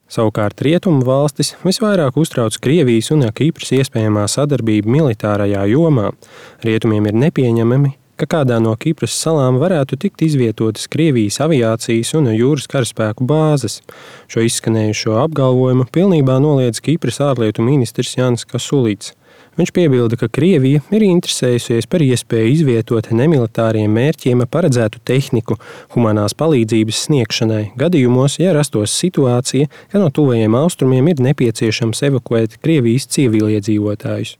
Savukārt rietumu valstis visvairāk uztrauc Krievijas un Kipras iespējamā sadarbība militārajā jomā. Rietumiem ir nepieņemami, ka kādā no Kipras salām varētu tikt izvietotas Krievijas aviācijas un jūras karaspēku bāzes. Šo izskanējušo apgalvojumu pilnībā noliedz Kipras ārlietu ministrs Jānis Kasulīds. Viņš piebilda, ka Krievija ir interesējusies par iespēju izvietot nemilitāriem mērķiem paredzētu tehniku humanās palīdzības sniegšanai gadījumos, ja rastos situācija, ka no tuvajiem austrumiem ir nepieciešams evakuēt Krievijas civiliedzīvotājus.